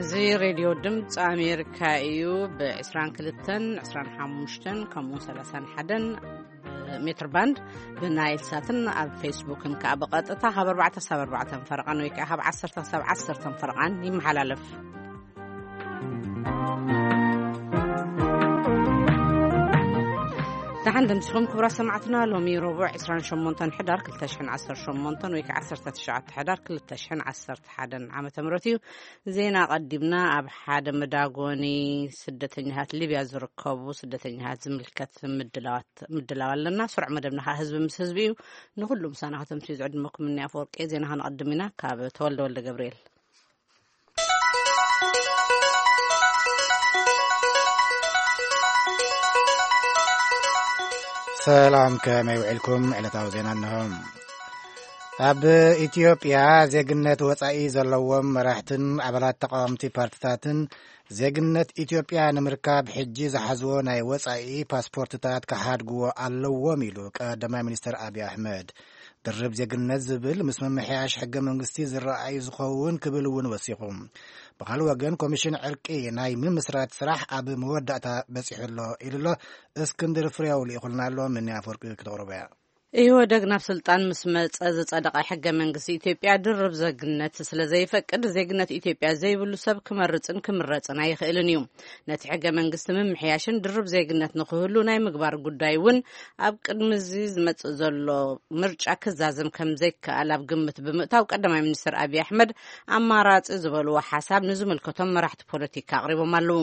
እዚ ሬድዮ ድምፂ ኣሜሪካ እዩ። ብ22፣ 25 ከምኡ 31 ሜትር ባንድ ብናይል ሳትን ኣብ ፌስቡክን ከዓ ብቐጥታ ካብ ኣርባዕተ ሳብ ኣርባዕተ ፈረቓን ወይ ከዓ ካብ ዓሰርተ ሳብ ዓሰርተ ፈረቓን ይመሓላለፍ። ደሓን ደምሲኹም ክቡራት ሰማዕትና። ሎሚ ረቡዕ 28 ሕዳር 2018 ወይ ከዓ 19 ሕዳር 2011 ዓመተ ምህረት እዩ። ዜና ቀዲምና። ኣብ ሓደ መዳጎኒ ስደተኛታት ሊብያ ዝርከቡ ስደተኛታት ዝምልከት ምድላዋት ምድላው ኣለና። ስሩዕ መደብና ከዓ ህዝቢ ምስ ህዝቢ እዩ። ንኩሉ ምሳና ከተምስዩ ዝዕድመኩም እኒ ኣፈወርቂ። ዜና ከነቐድም ኢና። ካብ ተወልደ ወልደ ገብርኤል። ሰላም፣ ከመይ ውዒልኩም? ዕለታዊ ዜና እንሆ። ኣብ ኢትዮጵያ ዜግነት ወጻኢ ዘለዎም መራሕትን ኣባላት ተቃወምቲ ፓርትታትን ዜግነት ኢትዮጵያ ንምርካብ ሕጂ ዝሓዝዎ ናይ ወጻኢ ፓስፖርትታት ክሓድግዎ ኣለዎም ኢሉ ቀዳማይ ሚኒስትር ኣብይ ኣሕመድ። ድርብ ዜግነት ዝብል ምስ ምምሕያሽ ሕገ መንግስቲ ዝረኣይ ዝኸውን ክብል እውን ወሲኹ። ብኻልእ ወገን ኮሚሽን ዕርቂ ናይ ምምስራት ስራሕ ኣብ መወዳእታ በጺሑ ኣሎ ኢሉ ኣሎ። እስክንድር ፍሬው ልኢኹልና ኣሎ። ምኒ ኣፈወርቂ ክተቕርቦ እያ። ኢህወደግ ናብ ስልጣን ምስ መጸ ዝጸደቐ ሕገ መንግስቲ ኢትዮጵያ ድርብ ዜግነት ስለ ዘይፈቅድ፣ ዜግነት ኢትዮጵያ ዘይብሉ ሰብ ክመርጽን ክምረጽን ኣይኽእልን እዩ። ነቲ ሕገ መንግስቲ ምምሕያሽን ድርብ ዜግነት ንክህሉ ናይ ምግባር ጉዳይ እውን ኣብ ቅድሚ እዚ ዝመጽእ ዘሎ ምርጫ ክዛዘም ከም ዘይከኣል ኣብ ግምት ብምእታው፣ ቀዳማይ ሚኒስትር ኣብይ ኣሕመድ ኣማራጺ ዝበልዎ ሓሳብ ንዝምልከቶም መራሕቲ ፖለቲካ ኣቕሪቦም ኣለዉ።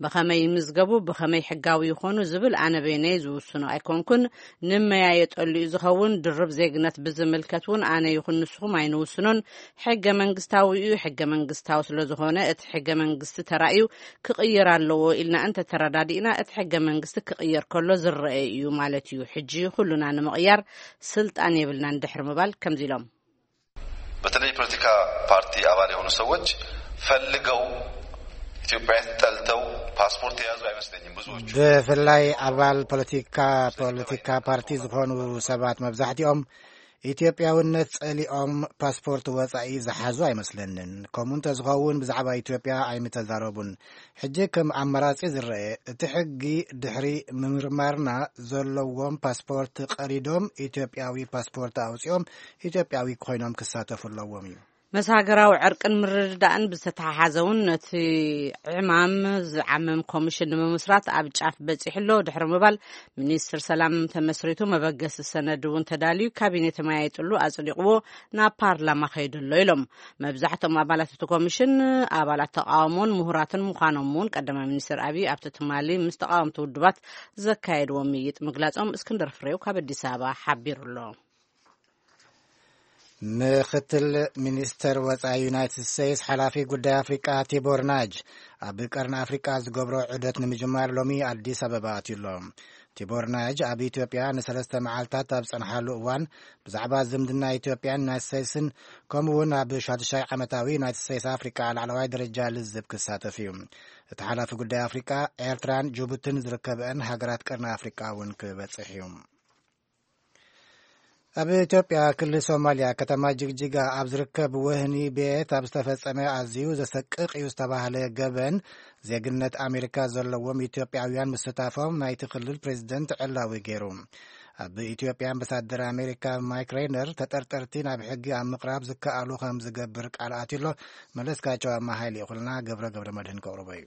ብኸመይ ይምዝገቡ፣ ብኸመይ ሕጋዊ ይኾኑ ዝብል ኣነ በይነይ ዝውስኖ ኣይኮንኩን። ንመያየጠሉ እዩ ዝኸውን። ድርብ ዜግነት ብዝምልከት እውን ኣነ ይኹን ንስኹም ኣይንውስኖን። ሕገ መንግስታዊ እዩ። ሕገ መንግስታዊ ስለ ዝኾነ፣ እቲ ሕገ መንግስቲ ተራእዩ ክቕየር ኣለዎ ኢልና እንተተረዳዲእና፣ እቲ ሕገ መንግስቲ ክቕየር ከሎ ዝረአ እዩ ማለት እዩ። ሕጂ ኩሉና ንምቕያር ስልጣን የብልናን ድሕሪ ምባል ከምዚ ኢሎም። በተለይ የፖለቲካ ፓርቲ አባል የሆኑ ሰዎች ፈልገው ኢትዮጵያን ጠልተው ፓስፖርት የያዙ አይመስለኝም ብዙዎቹ። ብፍላይ ኣባል ፖለቲካ ፖለቲካ ፓርቲ ዝኾኑ ሰባት መብዛሕትኦም ኢትዮጵያውነት ጸሊኦም ፓስፖርት ወጻኢ ዝሓዙ ኣይመስለንን። ከምኡ እንተዝኸውን ብዛዕባ ኢትዮጵያ ኣይምተዛረቡን። ሕጂ ከም ኣማራጺ ዝረአ፣ እቲ ሕጊ ድሕሪ ምምርማርና ዘለዎም ፓስፖርት ቀዲዶም ኢትዮጵያዊ ፓስፖርት ኣውጺኦም ኢትዮጵያዊ ኮይኖም ክሳተፉ ኣለዎም እዩ። ምስ ሃገራዊ ዕርቅን ምርድዳእን ብዝተተሓሓዘ እውን ነቲ ዕማም ዝዓምም ኮሚሽን ንምምስራት ኣብ ጫፍ በጺሑ ኣሎ ድሕሪ ምባል፣ ሚኒስትር ሰላም ተመስሪቱ፣ መበገሲ ሰነድ እውን ተዳልዩ፣ ካቢኔ ተመያይጥሉ ኣጽዲቕዎ ናብ ፓርላማ ከይዱ ኣሎ ኢሎም። መብዛሕትኦም ኣባላት እቲ ኮሚሽን ኣባላት ተቃውሞን ምሁራትን ምዃኖም እውን ቀዳማይ ሚኒስትር ኣብይ ኣብቲ ትማሊ ምስ ተቃወምቲ ውድባት ዘካየድዎ ምይይጥ ምግላጾም እስክንድር ፍሬው ካብ ኣዲስ ኣበባ ሓቢሩ ኣሎ። ምክትል ሚኒስተር ወጻኢ ዩናይትድ ስቴትስ ሓላፊ ጉዳይ ኣፍሪቃ ቲቦር ናጅ ኣብ ቀርኒ ኣፍሪቃ ዝገብሮ ዑደት ንምጅማር ሎሚ ኣዲስ ኣበባ ኣትዩ ኣሎ። ቲቦር ናጅ ኣብ ኢትዮጵያ ንሰለስተ መዓልታት ኣብ ጸንሓሉ እዋን ብዛዕባ ዝምድና ኢትዮጵያን ዩናይትድ ስቴትስን ከምኡ እውን ኣብ ሻዱሻይ ዓመታዊ ዩናይትድ ስቴትስ ኣፍሪቃ ላዕለዋይ ደረጃ ልዝብ ክሳተፍ እዩ። እቲ ሓላፊ ጉዳይ ኣፍሪቃ ኤርትራን ጅቡትን ዝርከበአን ሃገራት ቀርኒ ኣፍሪቃ እውን ክበጽሕ እዩ። ኣብ ኢትዮጵያ ክልል ሶማልያ ከተማ ጅግጅጋ ኣብ ዝርከብ ወህኒ ቤት ኣብ ዝተፈጸመ ኣዝዩ ዘሰቅቕ እዩ ዝተባህለ ገበን ዜግነት ኣሜሪካ ዘለዎም ኢትዮጵያውያን ምስታፎም ናይቲ ክልል ፕሬዝደንት ዕላዊ ገይሩ። ኣብ ኢትዮጵያ ኣምባሳደር ኣሜሪካ ማይክ ሬይነር ተጠርጠርቲ ናብ ሕጊ ኣብ ምቕራብ ዝከኣሉ ከም ዝገብር ቃል ኣትዩሎ። መለስካቸው ኣማሃይ ልኢኹልና ገብረ ገብረ መድህን ከቕርቦ እዩ።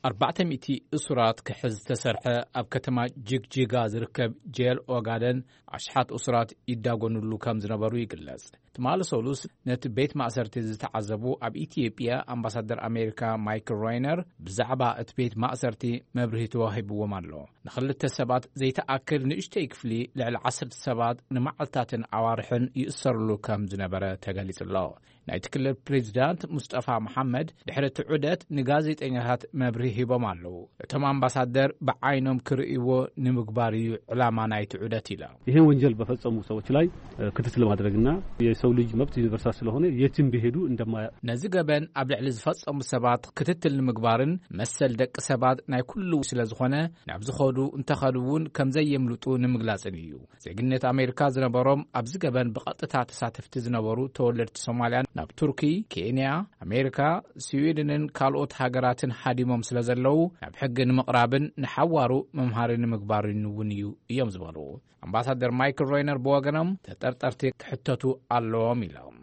ኣርባዕተ ሚእቲ እሱራት ክሕዝ ዝተሰርሐ ኣብ ከተማ ጅግጅጋ ዝርከብ ጄል ኦጋደን ኣሽሓት እሱራት ይዳጎኑሉ ከም ዝነበሩ ይግለጽ። ትማሊ ሰሉስ ነቲ ቤት ማእሰርቲ ዝተዓዘቡ ኣብ ኢትዮጵያ ኣምባሳደር ኣሜሪካ ማይክል ሮይነር ብዛዕባ እቲ ቤት ማእሰርቲ መብርሂ ተዋሂብዎም ኣሎ። ንኽልተ ሰባት ዘይተኣክል ንእሽተይ ክፍሊ ልዕሊ ዓሰርተ ሰባት ንመዓልታትን ኣዋርሕን ይእሰሩሉ ከም ዝነበረ ተገሊጹ ኣሎ። ናይቲ ክልል ፕሬዚዳንት ሙስጠፋ መሓመድ ድሕሪ እቲ ዑደት ንጋዜጠኛታት መብርሂ ሂቦም ኣለዉ። እቶም ኣምባሳደር ብዓይኖም ክርእይዎ ንምግባር እዩ ዕላማ ናይቲ ዑደት ኢሎም። ይህን ወንጀል በፈጸሙ ሰዎች ላይ ክትትል ለማድረግና የሰው ልጅ መብት ዩኒቨርሳል ስለሆነ የትም ቢሄዱ እንደማ ነዚ ገበን ኣብ ልዕሊ ዝፈጸሙ ሰባት ክትትል ንምግባርን መሰል ደቂ ሰባት ናይ ኩሉ ስለ ዝኾነ፣ ናብ ዝኸዱ እንተኸዱ እውን ከም ዘየምልጡ ንምግላጽን እዩ። ዜግነት ኣሜሪካ ዝነበሮም ኣብዚ ገበን ብቐጥታ ተሳተፍቲ ዝነበሩ ተወለድቲ ሶማልያን ናብ ቱርኪ፣ ኬንያ፣ ኣሜሪካ፣ ስዊድንን ካልኦት ሃገራትን ሃዲሞም ስለ ዘለዉ፣ ናብ ሕጊ ንምቕራብን ንሓዋሩ መምሃሪ ንምግባርን እውን እዩ እዮም ዝበሉ። ኣምባሳደር ማይክል ሮይነር ብወገኖም፣ ተጠርጠርቲ ክሕተቱ ኣለዎም ኢሎም።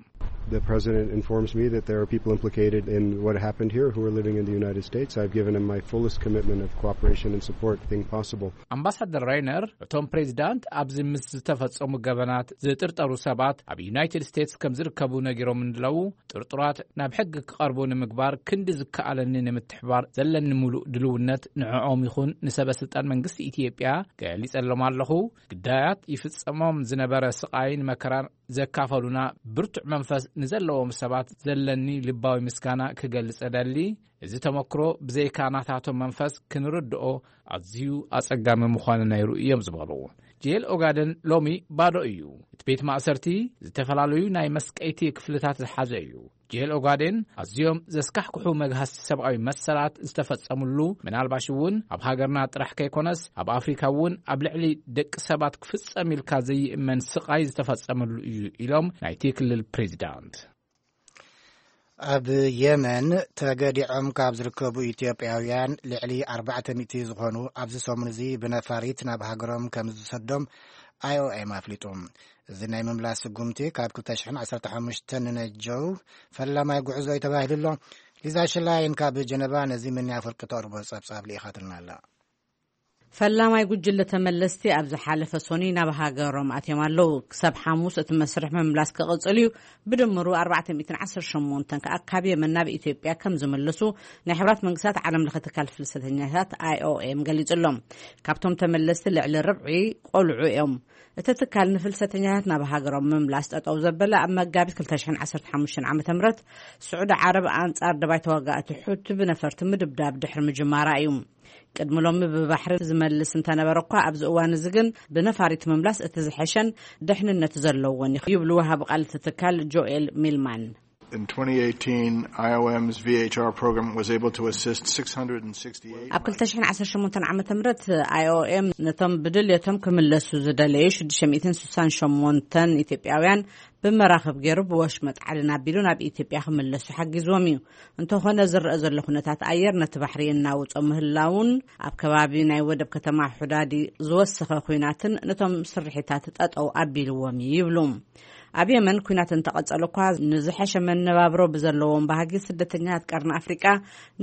The president informs me that there are people implicated in what happened here who are living in the United States. I've given him my fullest commitment of cooperation and support thing possible. ኣምባሳደር ራይነር፣ እቶም ፕሬዚዳንት ኣብዚ ምስ ዝተፈጸሙ ገበናት ዝጥርጠሩ ሰባት ኣብ ዩናይትድ ስቴትስ ከም ዝርከቡ ነጊሮም እንድለው፣ ጥርጡራት ናብ ሕጊ ክቐርቡ ንምግባር ክንዲ ዝከኣለኒ ንምትሕባር ዘለኒ ሙሉእ ድልውነት ንዕኦም ይኹን ንሰበ ስልጣን መንግስቲ ኢትዮጵያ ገሊጸሎም ኣለኹ። ግዳያት ይፍጸሞም ዝነበረ ስቓይን መከራን ዘካፈሉና ብርቱዕ መንፈስ ንዘለዎም ሰባት ዘለኒ ልባዊ ምስጋና ክገልጽ እደሊ። እዚ ተመክሮ ብዘይካ ናታቶም መንፈስ ክንርድኦ ኣዝዩ ኣጸጋሚ ምዃኑ ነይሩ እዮም ዝበሉ። ጄል ኦጋደን ሎሚ ባዶ እዩ። እቲ ቤት ማእሰርቲ ዝተፈላለዩ ናይ መስቀይቲ ክፍልታት ዝሓዘ እዩ። ጄል ኦጋዴን ኣዝዮም ዘስካሕክሑ መግሃስቲ ሰብኣዊ መሰላት ዝተፈጸምሉ፣ ምናልባሽ እውን ኣብ ሃገርና ጥራሕ ከይኮነስ ኣብ ኣፍሪካ እውን ኣብ ልዕሊ ደቂ ሰባት ክፍጸም ኢልካ ዘይእመን ስቓይ ዝተፈጸመሉ እዩ ኢሎም ናይቲ ክልል ፕሬዚዳንት። ኣብ የመን ተገዲዖም ካብ ዝርከቡ ኢትዮጵያውያን ልዕሊ ኣርባዕተ ሚእቲ ዝኾኑ ኣብዚ ሰሙን እዚ ብነፋሪት ናብ ሃገሮም ከም ዝሰዶም ኣይኦኤም ኣፍሊጡ። እዚ ናይ ምምላስ ስጉምቲ ካብ ክልተ ሽሕን ዓሰርተ ሓሙሽተን ንነጀው ፈላማይ ጉዕዞ እዩ ተባሂሉ ኣሎ። ሊዛ ሽላይን ካብ ጀነቫ ነዚ ምንያ ፍርቂ ተቕርቦ ጸብጻብ ልኢኻትልና ኣላ። ፈላማይ ጉጅለ ተመለስቲ ኣብ ዝሓለፈ ሶኒ ናብ ሃገሮም ኣትዮም ኣለዉ። ክሳብ ሓሙስ እቲ መስርሕ ምምላስ ክቕጽል እዩ። ብድምሩ ኣርባዕተ ሚእትን ዓሰርተ ሸሞንተን ከኣ ካብ የመን ናብ ኢትዮጵያ ከም ዝምልሱ ናይ ሕብራት መንግስታት ዓለም ለኸ ትካል ፍልሰተኛታት ኣይኦኤም ገሊጹ ኣሎ። ካብቶም ተመለስቲ ልዕሊ ርብዒ ቆልዑ እዮም። እቲ ትካል ንፍልሰተኛታት ናብ ሃገሮም ምምላስ ጠጠው ዘበለ ኣብ መጋቢት ክልተ ሽሕን ዓሰርተ ሓሙሽተን ዓመተ ምህረት ስዑዲ ዓረብ ኣንጻር ደባይ ተዋጋእቲ ሑቲ ብነፈርቲ ምድብዳብ ድሕሪ ምጅማራ እዩ። ቅድሚ ሎሚ ብባሕሪ ዝመልስ እንተነበረ እኳ፣ ኣብዚ እዋን እዚ ግን ብነፋሪት ምምላስ እቲ ዝሐሸን ድሕንነት ዘለዎን እዩ ይብሉ ወሃቢ ቃል እቲ ትካል ጆኤል ሚልማን። In twenty eighteen, I O M's V H R program was able to assist six hundred sixty-eight ኣብ ክልተ ሽሕን ዓሰርተ ሸሞንተን ዓመተ ምህረት ኣይኦኤም ነቶም ብድልየቶም ክምለሱ ዝደለዩ ሽዱሽተ ሚእትን ስሳን ሸሞንተን ኢትዮጵያውያን ብመራኽብ ገይሩ ብወሽመጥ ዓደን ኣቢሉ ናብ ኢትዮጵያ ክምለሱ ሓጊዝዎም እዩ። እንተኾነ ዝረአ ዘሎ ኩነታት ኣየር ነቲ ባሕሪ እናውጾ ምህላውን ኣብ ከባቢ ናይ ወደብ ከተማ ሑዳዲ ዝወሰኸ ኲናትን ነቶም ስርሒታት ጠጠው ኣቢልዎም እዩ ይብሉ። ኣብ የመን ኲናት እንተቐጸሉ እኳ ንዝሐሸ መነባብሮ ብዘለዎም ባህጊ ስደተኛታት ቀርኒ ኣፍሪቃ